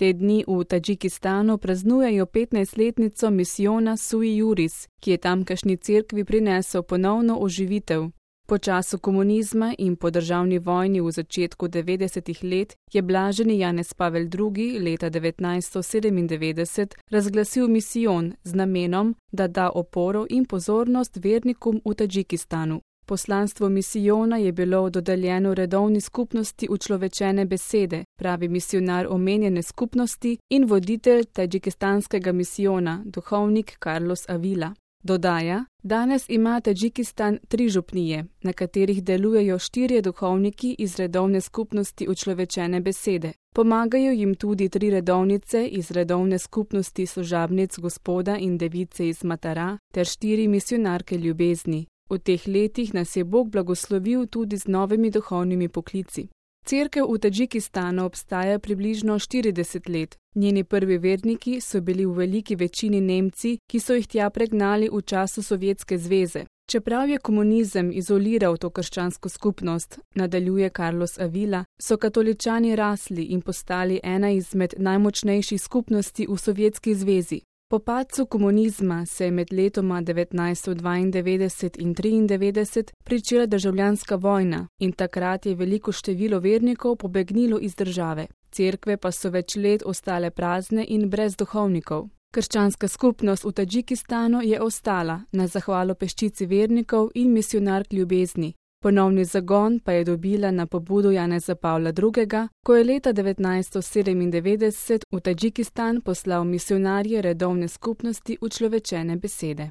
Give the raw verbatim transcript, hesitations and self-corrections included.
Te dni v Tadžikistanu praznujejo petnajstletnico misijona Sui Juris, ki je tamkajšnji cerkvi prinesel ponovno oživitev. Po času komunizma in po državni vojni v začetku devetdesetih let je blaženi Janez Pavel drugi leta devetnajststo sedemindevetdeset razglasil misijon z namenom, da da oporo in pozornost vernikom v Tadžikistanu. Poslanstvo misijona je bilo dodeljeno redovni skupnosti učlovečene besede, pravi misijonar omenjene skupnosti in voditelj tadžikistanskega misijona, duhovnik Carlos Avila. Dodaja, danes ima Tadžikistan tri župnije, na katerih delujejo štirje duhovniki iz redovne skupnosti učlovečene besede. Pomagajo jim tudi tri redovnice iz redovne skupnosti služabnic Gospoda in Device iz Matara ter štiri misijonarke ljubezni. V teh letih nas je Bog blagoslovil tudi z novimi duhovnimi poklici. Cerkev v Tadžikistanu obstaja približno štirideset let. Njeni prvi verniki so bili v veliki večini Nemci, ki so jih tja pregnali v času Sovjetske zveze. Čeprav je komunizem izoliral to krščansko skupnost, nadaljuje Carlos Avila, so katoličani rasli in postali ena izmed najmočnejših skupnosti v Sovjetski zvezi. Po padcu komunizma se je med letoma devetnajststo dvaindevetdeset in triindevetdeset pričela državljanska vojna in takrat je veliko število vernikov pobegnilo iz države. Cerkve pa so več let ostale prazne in brez duhovnikov. Krščanska skupnost v Tadžikistanu je ostala na zahvalo peščici vernikov in misijonark ljubezni. Ponovni zagon pa je dobila na pobudo Janeza Pavla drugega, ko je leta devetnajststo sedemindevetdeset v Tadžikistan poslal misijonarje redovne skupnosti učlovečene besede.